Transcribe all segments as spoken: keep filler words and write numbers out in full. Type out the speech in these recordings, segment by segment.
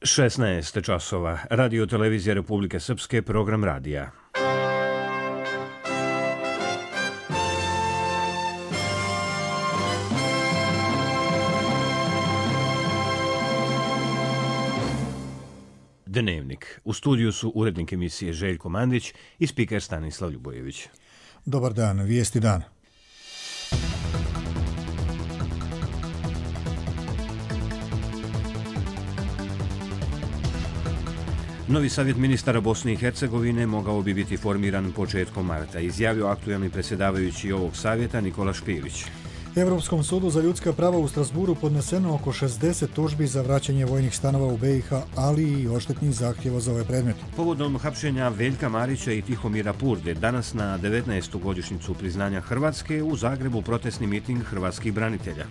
šesnaest časova. Radio televizija Republike Srpske, program radija. Dnevnik. U studiju su urednik emisije Željko Mandić i spiker Stanislav Ljubojević. Dobar dan, vijesti dana. Novi savjet ministara Bosne i Hercegovine mogao bi biti formiran početkom marta, izjavio aktuelni predsjedavajući ovog savjeta Nikola Špilić. Europskom sudu za ljudska prava u Strasburu podneseno oko šezdeset tužbi za vraćanje vojnih stanova u B i H, ali i odštetnih zahtjeva za ove predmete. Povodom hapšenja Veljka Marića i Tihomira Purde, danas na devetnaestu godišnjicu priznanja Hrvatske, u Zagrebu protestni miting hrvatskih branitelja.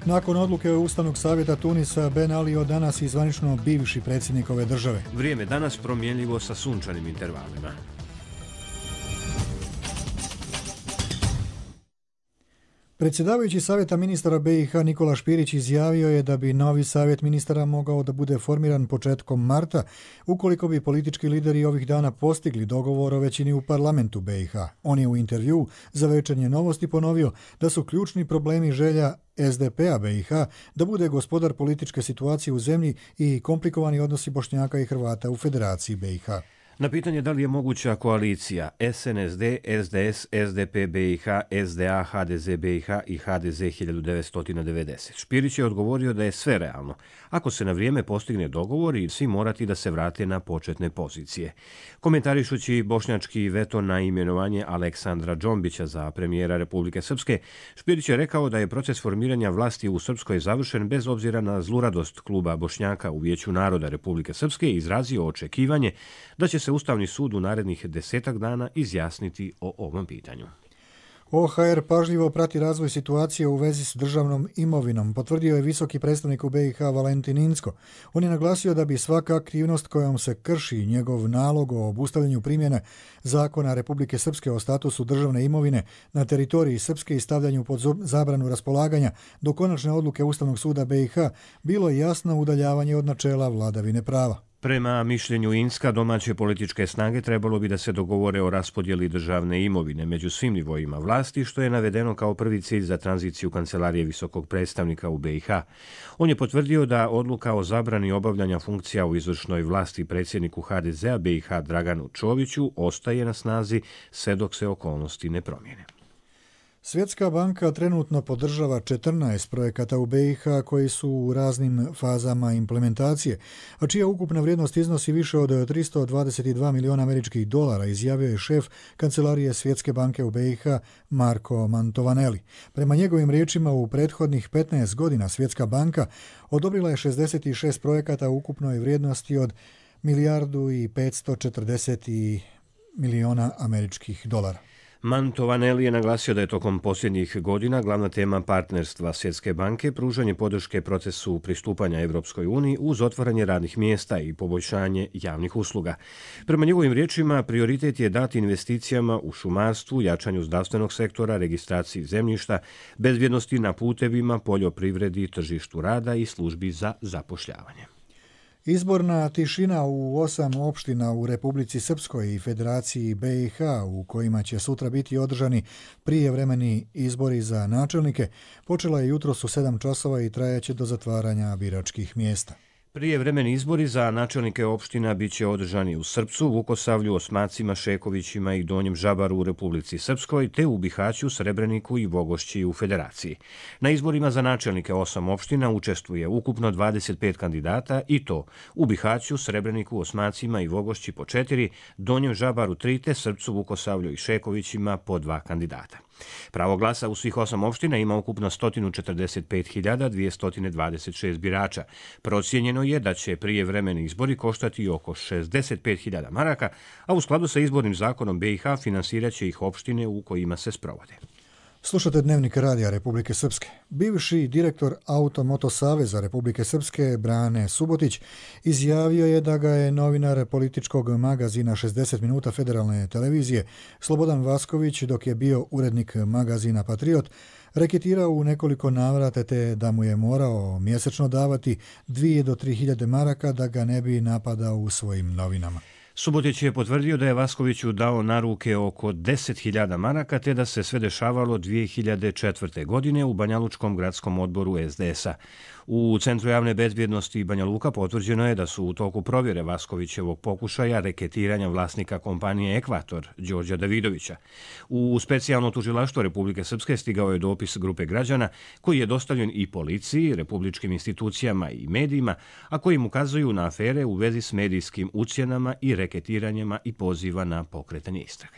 Nakon odluke Ustavnog savjeta Tunisa, Ben Ali od danas i zvanično bivši predsjednik ove države. Vrijeme danas promjenljivo sa sunčanim intervalima. Predsjedavajući savjeta ministara B i H Nikola Špirić izjavio je da bi novi savjet ministara mogao da bude formiran početkom marta ukoliko bi politički lideri ovih dana postigli dogovor o većini u parlamentu B i H. On je u intervju za Večernje novosti ponovio da su ključni problemi želja S D P-a B i H da bude gospodar političke situacije u zemlji i komplikovani odnosi Bošnjaka i Hrvata u Federaciji B i H. Na pitanje da li je moguća koalicija S N S D, S D S, S D P B i H, S D A, H D Z B i H i H D Z hiljadu devetsto devedeset. Špirić je odgovorio da je sve realno, ako se na vrijeme postigne dogovor i svi morati da se vrate na početne pozicije. Komentarišući bošnjački veto na imenovanje Aleksandra Džombića za premijera Republike Srpske, Špirić je rekao da je proces formiranja vlasti u Srpskoj završen bez obzira na zluradost kluba Bošnjaka u Vijeću naroda Republike Srpske i izrazio očekivanje da će se Ustavni sud u narednih desetak dana izjasniti o ovom pitanju. O H R pažljivo prati razvoj situacije u vezi s državnom imovinom, potvrdio je visoki predstavnik u B i H Valentin Incko. On je naglasio da bi svaka aktivnost kojom se krši njegov nalog o obustavljanju primjene zakona Republike Srpske o statusu državne imovine na teritoriji Srpske i stavljanju pod zabranu raspolaganja do konačne odluke Ustavnog suda B i H bilo jasno udaljavanje od načela vladavine prava. Prema mišljenju Incka, domaće političke snage trebalo bi da se dogovore o raspodjeli državne imovine među svim nivoima vlasti, što je navedeno kao prvi cilj za tranziciju Kancelarije visokog predstavnika u B i H. On je potvrdio da odluka o zabrani obavljanja funkcija u izvršnoj vlasti predsjedniku H D Z-a B i H Draganu Čoviću ostaje na snazi sve dok se okolnosti ne promijene. Svjetska banka trenutno podržava četrnaest projekata u B i H koji su u raznim fazama implementacije, a čija ukupna vrijednost iznosi više od tristo dvadeset dva miliona američkih dolara, izjavio je šef Kancelarije Svjetske banke u B i H Marko Mantovaneli. Prema njegovim riječima, u prethodnih petnaest godina Svjetska banka odobrila je šezdeset šest projekata u ukupnoj vrijednosti od milijardu i petsto četrdeset miliona američkih dolara. Mantovaneli je naglasio da je tokom posljednjih godina glavna tema partnerstva Svjetske banke pružanje podrške procesu pristupanja Evropskoj uniji uz otvaranje radnih mjesta i poboljšanje javnih usluga. Prema njegovim riječima, prioritet je dati investicijama u šumarstvu, jačanju zdravstvenog sektora, registraciji zemljišta, bezbjednosti na putevima, poljoprivredi, tržištu rada i službi za zapošljavanje. Izborna tišina u osam opština u Republici Srpskoj i Federaciji B i H, u kojima će sutra biti održani prijevremeni izbori za načelnike, počela je jutros u sedam časova i trajaće do zatvaranja biračkih mjesta. Prijevremeni izbori za načelnike opština bit će održani u Srpcu, Vukosavlju, Osmacima, Šekovićima i Donjem Žabaru u Republici Srpskoj, te u Bihaću, Srebreniku i Vogošći u Federaciji. Na izborima za načelnike osam opština učestvuje ukupno dvadeset pet kandidata i to u Bihaću, Srebreniku, Osmacima i Vogošći po četiri, Donjem Žabaru tri, te Srpcu, Vukosavlju i Šekovićima po dva kandidata. Pravo glasa u svih osam opština ima ukupno sto četrdeset pet hiljada dvjesto dvadeset šest birača. Procijenjeno je da će prijevremeni izbori koštati oko šezdeset pet hiljada maraka, a u skladu sa izbornim zakonom B i H finansirat će ih opštine u kojima se sprovode. Slušate Dnevnik radija Republike Srpske. Bivši direktor Auto-Moto Saveza Republike Srpske Brane Subotić izjavio je da ga je novinar političkog magazina šezdeset minuta Federalne televizije Slobodan Vasković, dok je bio urednik magazina Patriot, reketirao u nekoliko navrata te da mu je morao mjesečno davati dvije do tri hiljade maraka da ga ne bi napadao u svojim novinama. Subotić je potvrdio da je Vaskoviću dao na ruke oko deset hiljada maraka te da se sve dešavalo dvije hiljade četvrte. godine u Banjalučkom gradskom odboru es de es a. U Centru javne bezbjednosti Banja Luka potvrđeno je da su u toku provjere Vaskovićevog pokušaja reketiranja vlasnika kompanije Ekvator, Đorđa Davidovića. U specijalno tužilaštvo Republike Srpske stigao je dopis grupe građana koji je dostavljen i policiji, republičkim institucijama i medijima, a kojim ukazuju na afere u vezi s medijskim ucjenama i reketiranjima i poziva na pokretanje istrage.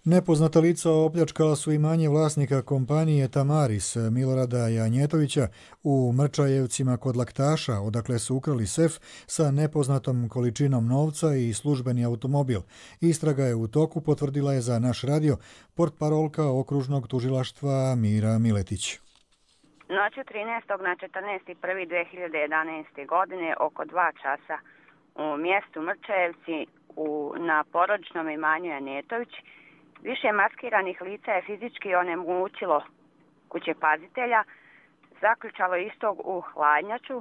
Nepoznata lica opljačkala su imanje vlasnika kompanije Tamaris Milorada Janjetovića u Mrčajevcima kod Laktaša, odakle su ukrali sef sa nepoznatom količinom novca i službeni automobil. Istraga je u toku, potvrdila je za naš radio portparolka okružnog tužilaštva Mira Miletić. Noću trinaestog na četrnaesti prvi dve hiljade jedanaeste. godine oko dva časa u mjestu Mrčajevci u, na porodičnom imanju Janjetović više maskiranih lica je fizički onemogućilo kućepazitelja, zaključalo istog u hladnjaču,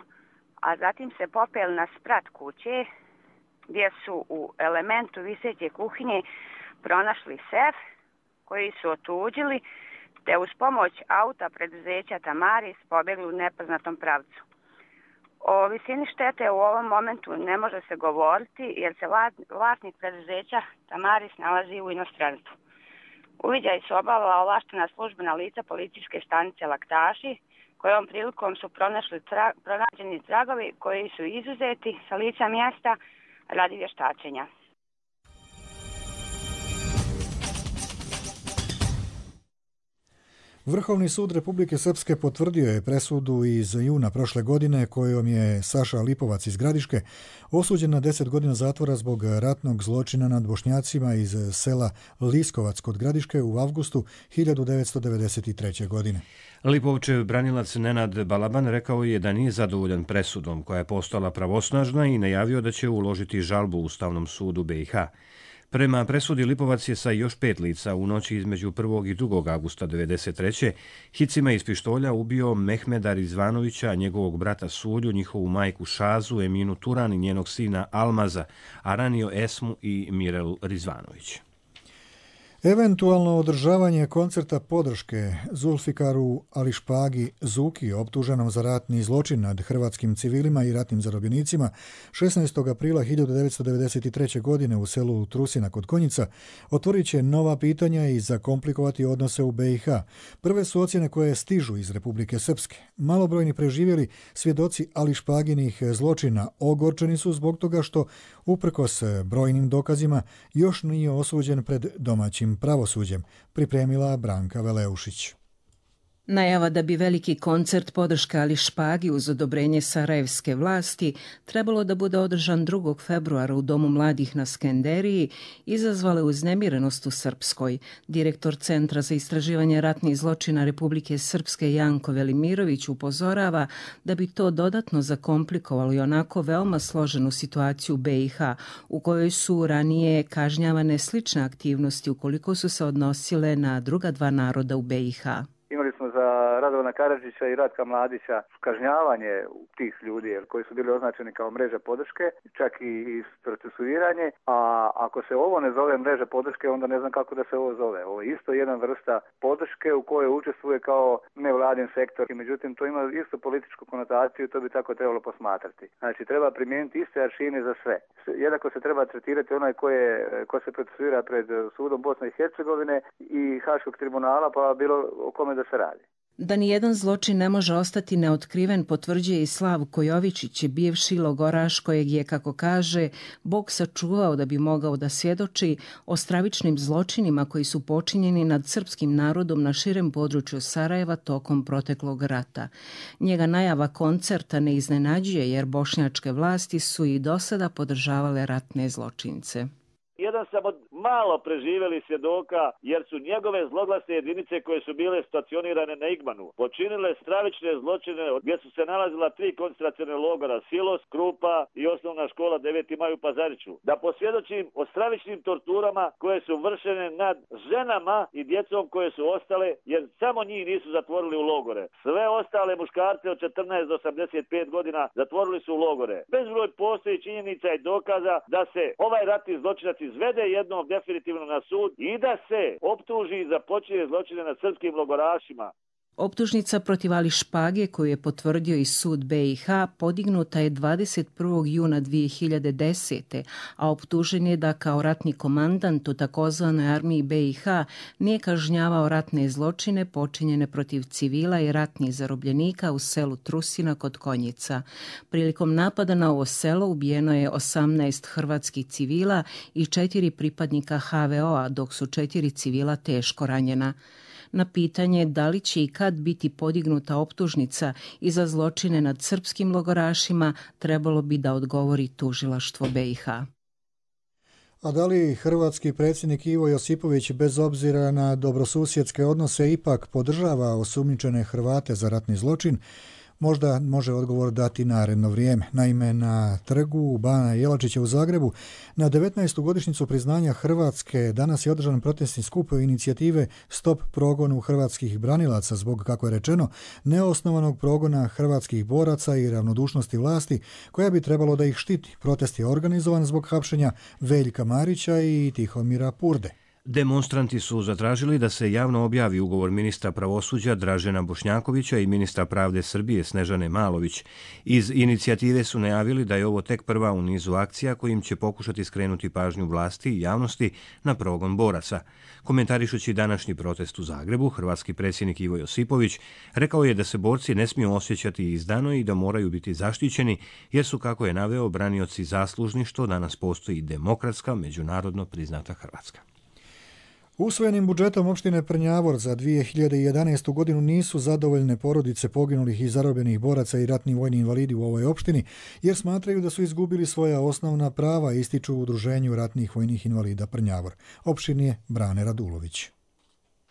a zatim se popeli na sprat kuće gdje su u elementu viseće kuhinje pronašli sef koji su otuđili te uz pomoć auta preduzeća Tamaris pobjegli u nepoznatom pravcu. O visini štete u ovom momentu ne može se govoriti jer se vlasnik preduzeća Tamaris nalazi u inostranstvu. Uviđaj su obavila ovlaštena službena lica policijske stanice Laktaši, kojom prilikom su pronašli tra, pronađeni tragovi koji su izuzeti sa lica mjesta radi vještačenja. Vrhovni sud Republike Srpske potvrdio je presudu iz juna prošle godine kojom je Saša Lipovac iz Gradiške osuđen na deset godina zatvora zbog ratnog zločina nad Bošnjacima iz sela Liskovac kod Gradiške u avgustu hiljadu devetsto devedeset treće. godine. Lipovčev branilac Nenad Balaban rekao je da nije zadovoljan presudom koja je postala pravosnažna i najavio da će uložiti žalbu Ustavnom sudu be i ha. Prema presudi Lipovac je sa još pet lica u noći između prvog i drugog avgusta devedeset treće. hicima iz pištolja ubio Mehmeda Rizvanovića, njegovog brata Sulju, njihovu majku Šazu, Eminu Turan i njenog sina Almaza, a ranio Esmu i Mirelu Rizvanović. Eventualno održavanje koncerta podrške Zulfikaru Ališpagi Zuki, optuženom za ratni zločin nad hrvatskim civilima i ratnim zarobljenicima, šesnaestog aprila hiljadu devetsto devedeset treće. godine u selu Trusina kod Konjica, otvorit će nova pitanja i zakomplikovati odnose u be i ha. Prve su ocjene koje stižu iz Republike Srpske. Malobrojni preživjeli svjedoci Ališpaginih zločina ogorčeni su zbog toga što, uprkos brojnim dokazima, još nije osuđen pred domaćim pravosuđem, pripremila Branka Veleušić. Najava da bi veliki koncert podrška Ališpagi uz odobrenje sarajevske vlasti trebalo da bude održan drugog februara u Domu mladih na Skenderiji izazvale uznemirenost u Srpskoj. Direktor Centra za istraživanje ratnih zločina Republike Srpske Janko Velimirović upozorava da bi to dodatno zakomplikovalo i onako veoma složenu situaciju u be i ha, u kojoj su ranije kažnjavane slične aktivnosti ukoliko su se odnosile na druga dva naroda u be i ha. Imali smo za Radovana Karadžića i Ratka Mladića kažnjavanje tih ljudi koji su bili označeni kao mreža podrške, čak i procesuiranje, a ako se ovo ne zove mreža podrške, onda ne znam kako da se ovo zove. Ovo je isto jedna vrsta podrške u kojoj učestvuje kao nevladin sektor, i međutim to ima isto političku konotaciju i to bi tako trebalo posmatrati. Znači treba primijeniti iste aršine za sve. Jednako se treba tretirati onaj ko, je, ko se procesuira pred sudom Bosne i Hercegovine i Haškog tribunala, pa bilo o kome da se radi. Da nijedan zločin ne može ostati neotkriven potvrđuje i Slavko Jovičić, bivši logoraš kojeg je, kako kaže, Bog sačuvao da bi mogao da svjedoči o stravičnim zločinima koji su počinjeni nad srpskim narodom na širem području Sarajeva tokom proteklog rata. Njega najava koncerta ne iznenađuje jer bošnjačke vlasti su i do sada podržavale ratne zločince. Jedan sam od malo preživjeli svjedoka jer su njegove zloglasne jedinice koje su bile stacionirane na Igmanu počinile stravične zločine gdje su se nalazila tri koncentracione logora Silos, Krupa i osnovna škola deveti maj u Pazariću. Da posvjedočim o stravičnim torturama koje su vršene nad ženama i djecom koje su ostale jer samo njih nisu zatvorili u logore. Sve ostale muškarce od četrnaest do osamdeset pet godina zatvorili su u logore. Bezbroj postoji činjenica i dokaza da se ovaj ratni zločinac izvede jednom definitivno na sud i da se optuži za počinjene zločine nad srpskim logorašima. Optužnica protiv Ali Špage, koju je potvrdio i sud B i H, podignuta je dvadeset prvog juna dvije hiljade desete. a optužen je da kao ratni komandant u takozvanoj armiji B i H nije kažnjavao ratne zločine počinjene protiv civila i ratnih zarobljenika u selu Trusina kod Konjica. Prilikom napada na ovo selo ubijeno je osamnaest hrvatskih civila i četiri pripadnika H V O-a, dok su četiri civila teško ranjena. Na pitanje da li će i kad biti podignuta optužnica i za zločine nad srpskim logorašima, trebalo bi da odgovori tužilaštvo B i H. A da li hrvatski predsjednik Ivo Josipović bez obzira na dobrosusjedske odnose ipak podržava osumnjičene Hrvate za ratni zločin? Možda može odgovor dati naredno vrijeme. Naime, na trgu Bana Jelačića u Zagrebu na devetnaestu godišnjicu priznanja Hrvatske danas je održan protestni skup inicijative Stop progonu hrvatskih branilaca zbog, kako je rečeno, neosnovanog progona hrvatskih boraca i ravnodušnosti vlasti koja bi trebalo da ih štiti. Protest je organizovan zbog hapšenja Veljka Marića i Tihomira Purde. Demonstranti su zatražili da se javno objavi ugovor ministra pravosuđa Dražena Bošnjakovića i ministra pravde Srbije Snežane Malović. Iz inicijative su najavili da je ovo tek prva u nizu akcija kojim će pokušati skrenuti pažnju vlasti i javnosti na progon boraca. Komentarišući današnji protest u Zagrebu, hrvatski predsjednik Ivo Josipović rekao je da se borci ne smiju osjećati izdano i da moraju biti zaštićeni jer su, kako je naveo, branioci zaslužni što danas postoji demokratska, međunarodno priznata Hrvatska. Usvojenim budžetom opštine Prnjavor za dvije hiljade jedanaestu. godinu nisu zadovoljne porodice poginulih i zarobljenih boraca i ratni vojni invalidi u ovoj opštini, jer smatraju da su izgubili svoja osnovna prava, ističu u Udruženju ratnih vojnih invalida Prnjavor. Opštini je Brane Radulović.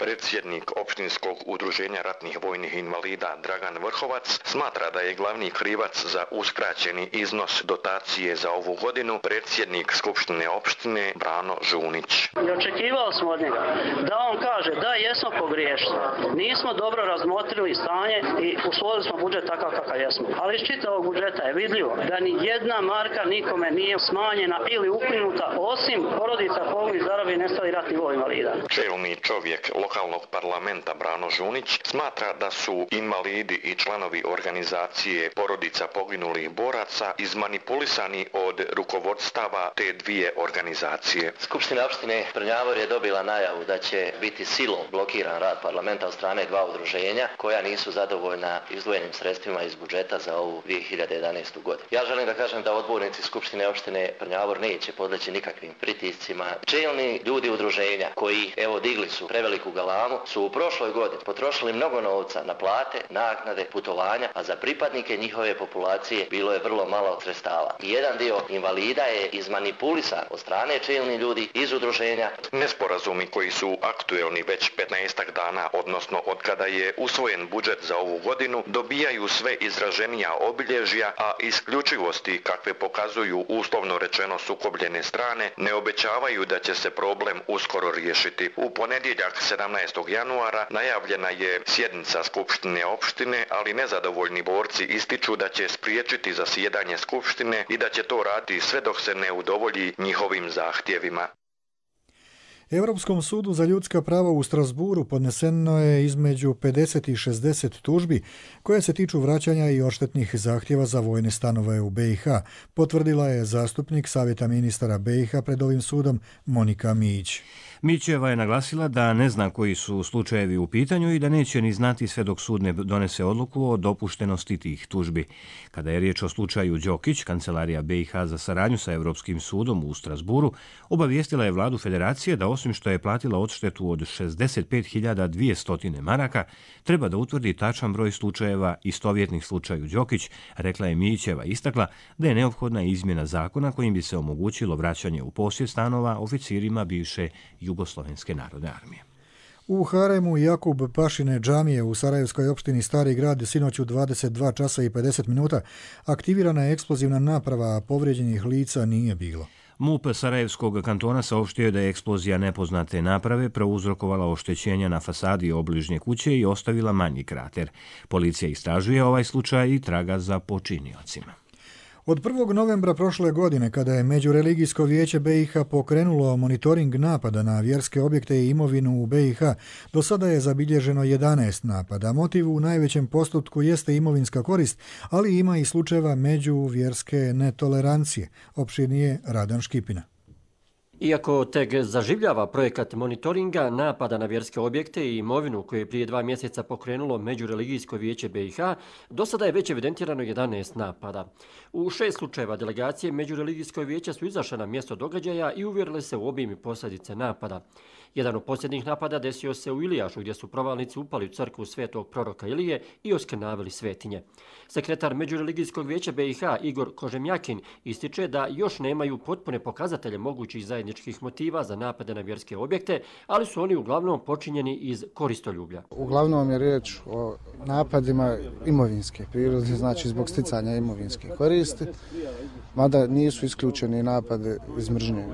Predsjednik opštinskog udruženja ratnih vojnih invalida Dragan Vrhovac smatra da je glavni krivac za uskraćeni iznos dotacije za ovu godinu predsjednik Skupštine opštine Brano Žunić. I očekivao smo od njega da on kaže da jesmo pogriješili, nismo dobro razmotrili stanje i usvojili smo budžet takav kakav jesmo. Ali iz čitavog budžeta je vidljivo da ni jedna marka nikome nije smanjena ili ukinuta osim porodica poginulih i zarobljenih nestalih ratnih vojnih invalida. Čelni čovjek lokalnog parlamenta Brano Žunić smatra da su invalidi i članovi organizacije porodica poginulih boraca izmanipulisani od rukovodstava te dvije organizacije. Skupština opštine Prnjavor je dobila najavu da će biti silom blokiran rad parlamenta od strane dva udruženja koja nisu zadovoljna izdvojenim sredstvima iz budžeta za ovu dvije hiljade jedanaestu. godinu. Ja želim da kažem da odbornici Skupštine opštine Prnjavor neće podleći nikakvim pritiscima. Čelni ljudi udruženja koji, evo, digli su preveliku galamu, su u prošloj godini potrošili mnogo novca na plate, naknade, putovanja, a za pripadnike njihove populacije bilo je vrlo malo sredstava. I jedan dio invalida je izmanipulisan od strane čelnih ljudi iz udruženja. Nesporazumi koji su aktuelni već petnaestak dana, odnosno od kada je usvojen budžet za ovu godinu, dobijaju sve izraženija obilježja, a isključivosti kakve pokazuju uslovno rečeno sukobljene strane ne obećavaju da će se problem uskoro riješiti. U ponedjeljak sedamnaestog januara najavljena je sjednica Skupštine opštine, ali nezadovoljni borci ističu da će spriječiti zasjedanje Skupštine i da će to raditi sve dok se ne udovolji njihovim zahtjevima. Europskom sudu za ljudska prava u Strasburu podneseno je između pedeset i šezdeset tužbi koje se tiču vraćanja i odštetnih zahtjeva za vojne stanove u B i H, potvrdila je zastupnik Savjeta ministara B i H pred ovim sudom Monika Mijić. Mićeva je naglasila da ne zna koji su slučajevi u pitanju i da neće ni znati sve dok sud ne donese odluku o dopuštenosti tih tužbi. Kada je riječ o slučaju Đokić, Kancelarija B i H za saradnju sa Europskim sudom u Strasburu obavijestila je vladu federacije da osim što je platila odštetu od šezdeset pet hiljada dvjesto maraka, treba da utvrdi tačan broj slučajeva istovjetnih slučaju Đokić, rekla je Mićeva, istakla da je neophodna izmjena zakona kojim bi se omogućilo vraćanje u posjed stanova oficirima bivše Jugoslovenske narodne armije. U haremu Jakub Pašine džamije u Sarajevskoj opštini Stari grad sinoć u dvadeset dva časa i pedeset minuta aktivirana je eksplozivna naprava, a povrijeđenih lica nije bilo. MUP Sarajevskog kantona saopštio je da je eksplozija nepoznate naprave prouzrokovala oštećenja na fasadi obližnje kuće i ostavila manji krater. Policija istražuje ovaj slučaj i traga za počiniocima. Od prvog novembra prošle godine, kada je Međureligijsko vijeće B i H pokrenulo monitoring napada na vjerske objekte i imovinu u B i H, do sada je zabilježeno jedanaest napada. Motiv u najvećem postotku jeste imovinska korist, ali ima i slučajeva međuvjerske netolerancije. Opširnije Radan Škipina. Iako tek zaživljava projekat monitoringa napada na vjerske objekte i imovinu koje je prije dva mjeseca pokrenulo Međureligijsko vijeće B i H, do sada je već evidentirano jedanaest napada. U šest slučajeva delegacije Međureligijskog vijeća su izašle na mjesto događaja i uvjerile se u obim i posljedice napada. Jedan od posljednjih napada desio se u Ilijašu, gdje su provalnici upali u crkvu svetog proroka Ilije i oskrnavili svetinje. Sekretar Međureligijskog vijeća B i H Igor Kožemjakin ističe da još nemaju potpune pokazatelje mogućih zajedničkih motiva za napade na vjerske objekte, ali su oni uglavnom počinjeni iz koristoljublja. Uglavnom je riječ o napadima imovinske prirode, znači zbog sticanja imovinske koristi, mada nisu isključeni napade iz mržnje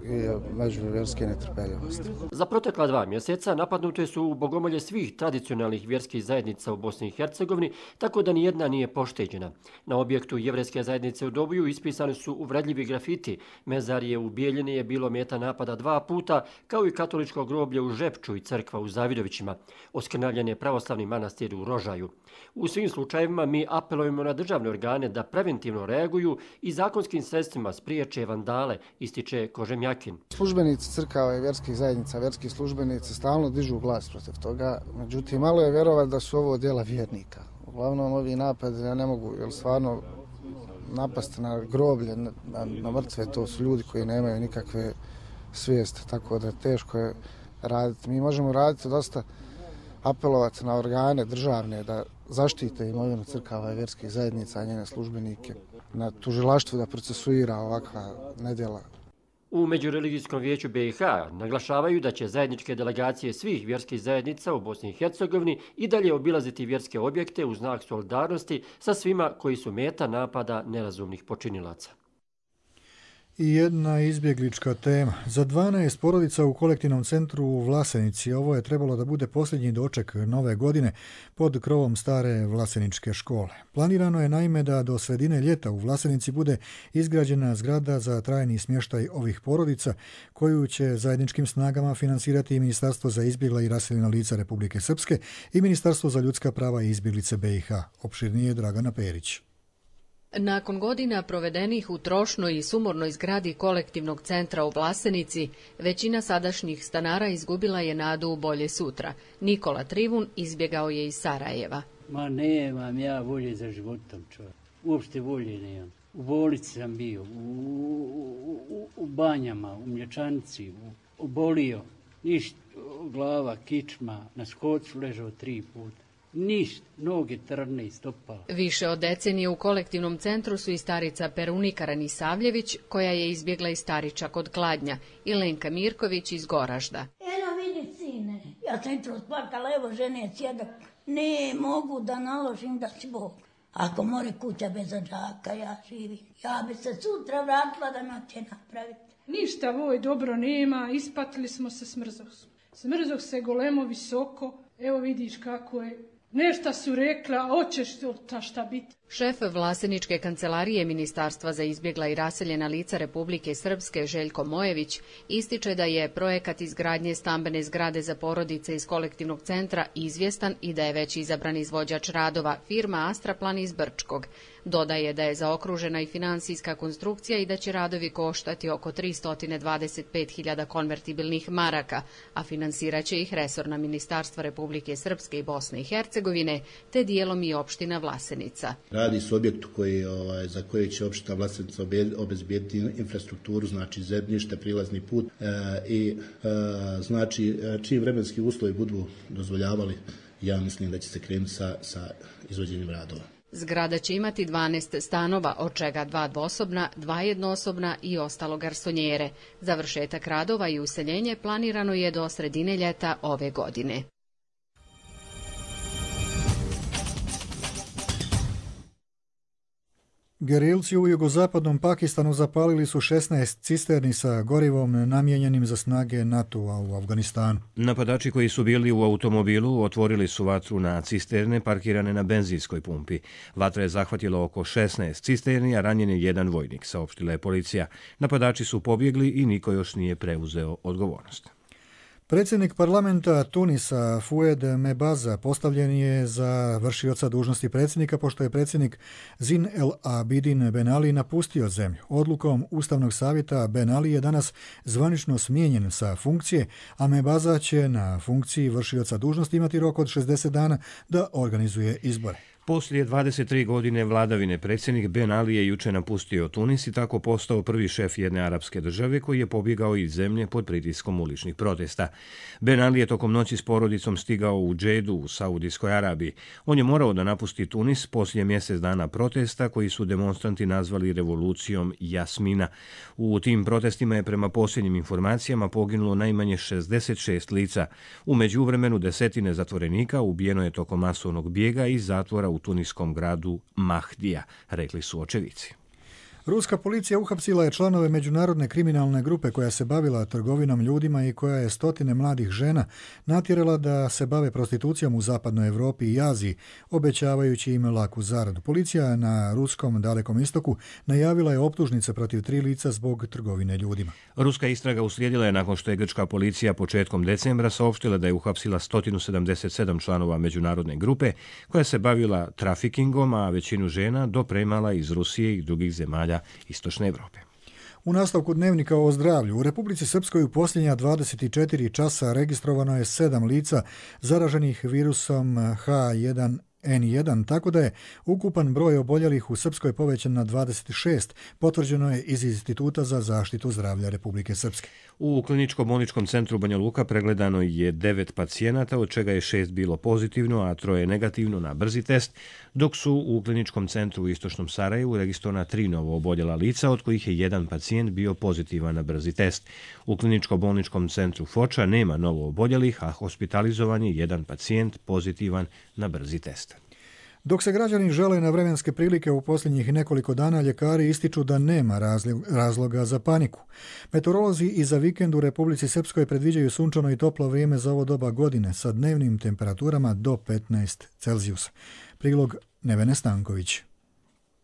i međuvjerske netrpeljivosti. Za protekla dva mjeseca napadnute su u bogomolje svih tradicionalnih vjerskih zajednica u Bosni i Hercegovini, tako da nijedna nije pošteđena. Na objektu jevrejske zajednice u Dobuju ispisani su uvredljivi grafiti. Mezarije u Bijeljini je bilo meta napada dva puta, kao i katoličko groblje u Žepču i crkva u Zavidovićima. Oskrnavljen je pravoslavni manastir u Rožaju. U svim slučajevima mi apelujemo na državne organe da preventivno reaguju i zakonskim sredstvima spriječe vandale, ističe Kožemjakin. Službenici crkava i vjerskih zajednica, vjerski službenici stalno dižu glas protiv toga, međutim malo je vjerovati da su ovo djela vjernika. Uglavnom ovi napadi ja ne mogu, jer stvarno napast na groblje, na, na mrtve, to su ljudi koji nemaju nikakve svijeste, tako da teško je raditi. Mi možemo raditi dosta, apelovati na organe državne da zaštite imovinu crkava i vjerskih zajednica, a njene službenike, na tužilaštvu da procesuira ovakva nedjela. U Međureligijskom vijeću B i H naglašavaju da će zajedničke delegacije svih vjerskih zajednica u Bosni i Hercegovini i dalje obilaziti vjerske objekte u znak solidarnosti sa svima koji su meta napada nerazumnih počinilaca. I jedna izbjeglička tema. Za dvanaest porodica u kolektivnom centru u Vlasenici ovo je trebalo da bude posljednji doček nove godine pod krovom stare Vlaseničke škole. Planirano je naime da do sredine ljeta u Vlasenici bude izgrađena zgrada za trajni smještaj ovih porodica koju će zajedničkim snagama finansirati i Ministarstvo za izbjegla i raseljena lica Republike Srpske i Ministarstvo za ljudska prava i izbjeglice B i H. Opširnije Dragana Perić. Nakon godina provedenih u trošnoj i sumornoj zgradi kolektivnog centra u Vlasenici, većina sadašnjih stanara izgubila je nadu u bolje sutra. Nikola Trivun izbjegao je iz Sarajeva. Ma nemam ja volje za životom, čovjek. Uopšte volje nemam. U bolnici sam bio, u, u, u, u banjama, u mlječanici, u, obolio. Ništa, glava, kičma, na skocu ležao tri puta. Ništa, noge trne i stopala. Više od decenije u kolektivnom centru su i starica Perunika Ranisavljević, koja je izbjegla iz Starića kod Kladnja, i Lenka Mirković iz Goražda. Eno vidi, sine, ja sam jutro splakala, evo žene sjedak. Ne mogu da naložim da si Bog. Ako more kuća bez džaka, ja živim. Ja bi se sutra vratila da noće napraviti. Ništa voj dobro nema, ispatili smo se, smrzoh. Smrzoh se golemo visoko, evo vidiš kako je. Nešto su rekla, a hoćeš ta šta biti. Šef Vlaseničke kancelarije Ministarstva za izbjegla i raseljena lica Republike Srpske Željko Mojević ističe da je projekat izgradnje stambene zgrade za porodice iz kolektivnog centra izvjestan i da je već izabran izvođač radova firma Astraplan iz Brčkog. Dodaje da je zaokružena i finansijska konstrukcija i da će radovi koštati oko tristo dvadeset pet hiljada konvertibilnih maraka, a finansiraće ih resorna ministarstva Republike Srpske i Bosne i Hercegovine, te dijelom i opština Vlasenica. Radi se o objektu koji, ovaj, za koji će opština Vlasenica obezbijediti infrastrukturu, znači zemljište, prilazni put e, i e, znači čiji vremenski uslovi budu dozvoljavali, ja mislim da će se krenuti sa, sa izvođenjem radova. Zgrada će imati dvanaest stanova, od čega dva dvosobna, dva jednosobna i ostalo garsonjere. Završetak radova i useljenje planirano je do sredine ljeta ove godine. Gerilci u jugozapadnom Pakistanu zapalili su šesnaest cisterni sa gorivom namijenjenim za snage NATO-a u Afganistanu. Napadači koji su bili u automobilu otvorili su vatru na cisterne parkirane na benzinskoj pumpi. Vatra je zahvatila oko šesnaest cisterni, a ranjen je jedan vojnik, saopštila je policija. Napadači su pobjegli i niko još nije preuzeo odgovornost. Predsjednik parlamenta Tunisa Foued Mebaza postavljen je za vršioca dužnosti predsjednika pošto je predsjednik Zin El Abidin Ben Ali napustio zemlju. Odlukom Ustavnog savjeta Ben Ali je danas zvanično smijenjen sa funkcije, a Mebaza će na funkciji vršioca dužnosti imati rok od šezdeset dana da organizuje izbore. Poslije dvadeset tri godine vladavine predsjednik Ben Ali je juče napustio Tunis i tako postao prvi šef jedne arapske države koji je pobjegao iz zemlje pod pritiskom uličnih protesta. Ben Ali je tokom noći s porodicom stigao u Džedu u Saudijskoj Arabiji. On je morao da napusti Tunis poslije mjesec dana protesta koji su demonstranti nazvali revolucijom Jasmina. U tim protestima je prema posljednjim informacijama poginulo najmanje šezdeset šest lica. U međuvremenu desetine zatvorenika ubijeno je tokom masovnog bijega iz zatvora u u tuniskom gradu Mahdija, rekli su očevici. Ruska policija uhapsila je članove međunarodne kriminalne grupe koja se bavila trgovinom ljudima i koja je stotine mladih žena natjerala da se bave prostitucijom u zapadnoj Europi i Aziji, obećavajući im laku zaradu. Policija na ruskom Dalekom istoku najavila je optužnice protiv tri lica zbog trgovine ljudima. Ruska istraga uslijedila je nakon što je grčka policija početkom decembra saopštila da je uhapsila sto sedamdeset sedam članova međunarodne grupe koja se bavila trafikingom, a većinu žena dopremala iz Rusije i drugih zemalja Istočne Evrope. U nastavku dnevnika o zdravlju, u Republici Srpskoj u posljednja dvadeset četiri časa registrovano je sedam lica zaraženih virusom H jedan N jedan, tako da je ukupan broj oboljelih u Srpskoj povećan na dvadeset šest, potvrđeno je iz Instituta za zaštitu zdravlja Republike Srpske. U kliničko-bolničkom centru Banja Luka pregledano je devet pacijenata, od čega je šest bilo pozitivno, a troje negativno na brzi test, dok su u kliničkom centru u Istočnom Sarajevu registrovana tri novo oboljela lica, od kojih je jedan pacijent bio pozitivan na brzi test. U kliničko-bolničkom centru Foča nema novo oboljelih, a hospitalizovan je jedan pacijent pozitivan na brzi test. Dok se građani žele na vremenske prilike u posljednjih nekoliko dana, ljekari ističu da nema razloga za paniku. Meteorolozi i za vikend u Republici Srpskoj predviđaju sunčano i toplo vrijeme za ovo doba godine sa dnevnim temperaturama do petnaest Celzijusa. Prilog Nevene Stanković.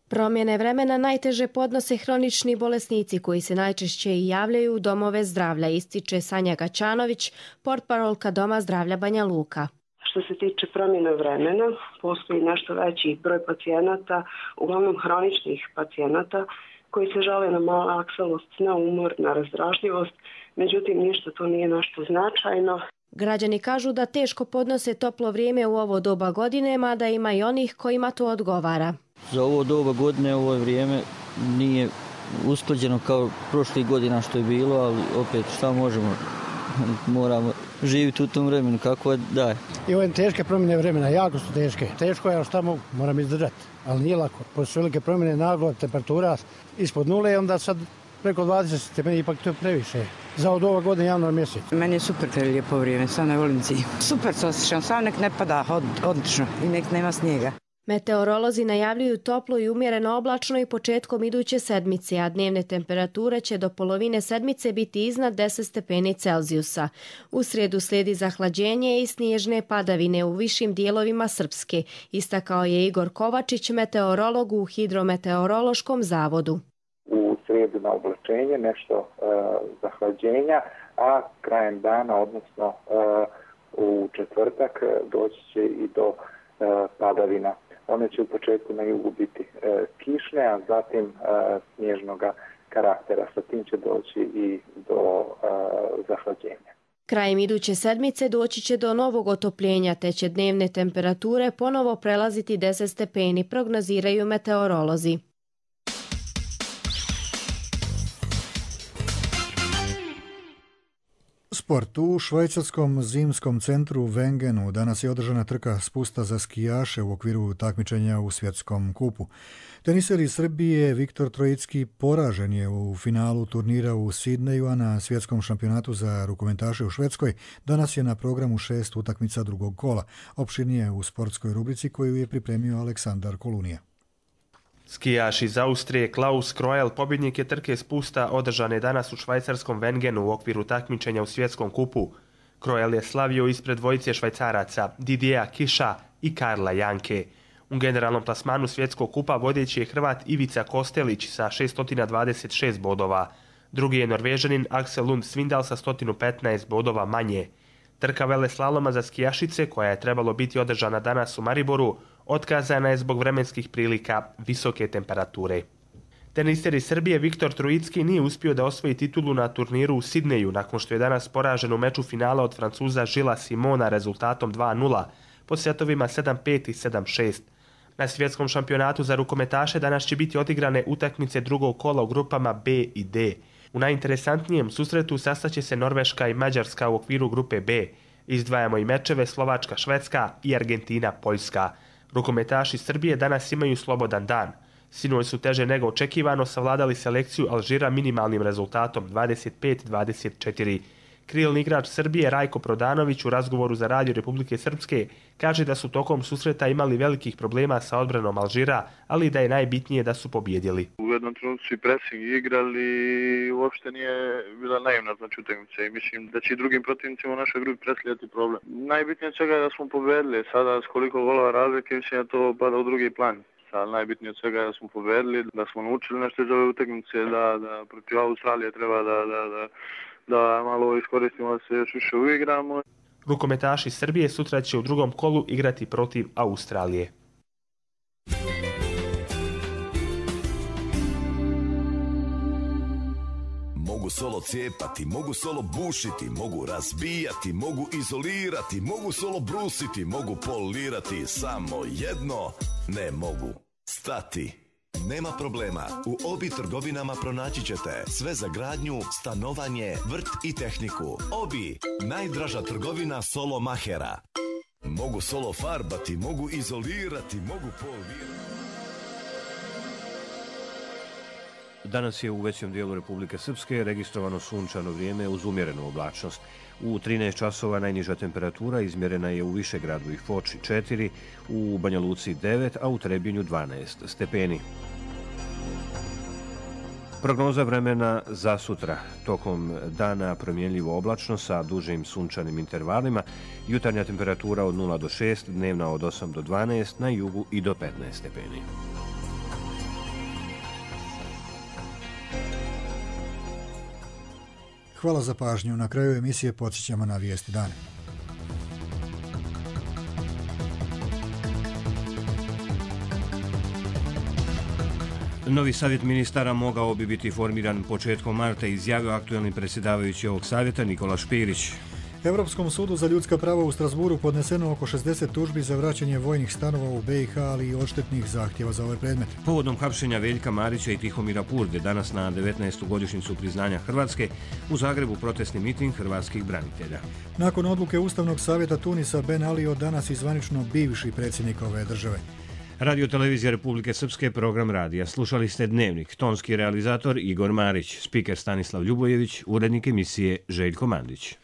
Promjene vremena najteže podnose hronični bolesnici koji se najčešće i javljaju u domove zdravlja, ističe Sanja Gaćanović, portparolka Doma zdravlja Banja Luka. Što se tiče promjene vremena, postoji nešto veći broj pacijenata, uglavnom hroničnih pacijenata, koji se žale na malakselost, na umor, na razdražljivost, međutim ništa to nije nešto značajno. Građani kažu da teško podnose toplo vrijeme u ovo doba godine, mada ima i onih kojima to odgovara. Za ovo doba godine, ovo vrijeme nije usklađeno kao prošlih godina što je bilo, ali opet šta možemo, moramo živjeti u tom vremenu kako je daje. I ove teške promjene vremena, jako su teške. Teško je, ali šta mogu, moram izdržati, ali nije lako. Poslije velike promjene naglo, temperatura ispod nule, onda sad preko dvadeset stepeni, ipak to je previše. Za od ova godina januar mjesec. Meni je super lijepo vrijeme, sad ne volim zimu. Super se osjećam, sam nek ne pada, od, odlično i nek nema snijega. Meteorolozi najavljuju toplo i umjereno oblačno i početkom iduće sedmice, a dnevne temperature će do polovine sedmice biti iznad deset stepeni Celzijusa. U srijedu slijedi zahlađenje i snježne padavine u višim dijelovima Srpske, istakao je Igor Kovačić, meteorolog u Hidrometeorološkom zavodu. U srijedu na oblačenje, nešto e, zahlađenja, a krajem dana, odnosno e, u četvrtak, doći će i do e, padavina. One će u početku na jugu biti e, kišne, a zatim e, snježnog karaktera. Sa tim će doći i do e, zahlađenja. Krajem iduće sedmice doći će do novog otopljenja, te će dnevne temperature ponovo prelaziti deset stepeni, prognoziraju meteorolozi. Sport. U švajcarskom zimskom centru Wengenu danas je održana trka spusta za skijaše u okviru takmičenja u svjetskom kupu. Teniser iz Srbije Viktor Trojicki poražen je u finalu turnira u Sidneju, a na svjetskom šampionatu za rukometaše u Švedskoj danas je na programu šest utakmica drugog kola. Opširnije u sportskoj rubrici koju je pripremio Aleksandar Kolunija. Skijaš iz Austrije Klaus Kroel pobjednik je trke spusta održane danas u švajcarskom Wengenu u okviru takmičenja u svjetskom kupu. Kroel je slavio ispred dvojice Švajcaraca Didieja Kiša i Karla Janke. U generalnom plasmanu svjetskog kupa vodeći je Hrvat Ivica Kostelić sa šesto dvadeset šest bodova. Drugi je Norvežanin Axel Lund Svindal sa sto petnaest bodova manje. Trka veleslaloma za skijašice, koja je trebalo biti održana danas u Mariboru, otkazana je zbog vremenskih prilika visoke temperature. Teniser iz Srbije Viktor Trojicki nije uspio da osvoji titulu na turniru u Sidneju nakon što je danas poražen u meču finala od Francuza Žila Simona rezultatom dva nula po setovima sedam pet i sedam šest. Na svjetskom šampionatu za rukometaše danas će biti odigrane utakmice drugog kola u grupama B i D. U najinteresantnijem susretu sastaće se Norveška i Mađarska u okviru grupe B. Izdvajamo i mečeve Slovačka-Švedska i Argentina-Poljska. Rukometaši Srbije danas imaju slobodan dan. Sinoć su teže nego očekivano savladali selekciju Alžira minimalnim rezultatom dvadeset pet dvadeset četiri. Krilni igrač Srbije Rajko Prodanović u razgovoru za Radio Republike Srpske kaže da su tokom susreta imali velikih problema sa odbranom Alžira, ali da je najbitnije da su pobjedili. U jednom trenutku su i pressing igrali i uopšte nije bila naivna znači utakmica i mislim da će i drugim protivnicima u našoj grupi predstavljati problem. Najbitnije od svega je da smo pobjedili, sada s koliko golova razlike mislim da to pada u drugi plan. Sad najbitnije od svega je da smo pobjedili, da smo naučili nešto iz ove utakmice, da, da protiv Australije treba da, da, da da malo iskoristimo da se još više uigramo. Rukometaši Srbije sutra će u drugom kolu igrati protiv Australije. Mogu solo cijepati, mogu solo bušiti, mogu razbijati, mogu izolirati, mogu solo brusiti, mogu polirati, samo jedno ne mogu stati. Nema problema, u Obi trgovinama pronaći ćete sve za gradnju, stanovanje, vrt i tehniku. Obi, najdraža trgovina solo mahera. Mogu solo farbati, mogu izolirati, mogu polirati. Danas je u većem dijelu Republike Srpske registrovano sunčano vrijeme uz umjerenu oblačnost. U trinaest časova najniža temperatura izmjerena je u Višegradu i Foči četiri, u Banja Luci devet, a u Trebinju dvanaest stepeni. Prognoza vremena za sutra. Tokom dana promjenljivo oblačno sa dužim sunčanim intervalima, jutarnja temperatura od nula do šest, dnevna od osam do dvanaest, na jugu i do petnaest stepeni. Hvala za pažnju. Na kraju emisije podsjećamo na vijesti dana. Novi savjet ministara mogao bi biti formiran početkom marta, izjavio aktuelni predsjedavajući ovog savjeta Nikola Špirić. Europskom sudu za ljudska prava u Strasburu podneseno oko šezdeset tužbi za vraćanje vojnih stanova u B i H, ali i odštetnih zahtjeva za ovaj predmet. Povodom hapšenja Veljka Marića i Tihomira Purde danas na devetnaestu godišnjicu priznanja Hrvatske u Zagrebu protestni miting hrvatskih branitelja. Nakon odluke Ustavnog savjeta Tunisa Ben Ali od danas i zvanično bivši predsjednik ove države. Radio Televizija Republike Srpske, program radija. Slušali ste Dnevnik, tonski realizator Igor Marić, spiker Stanislav Ljubojević, urednik emisije Željko Mandić.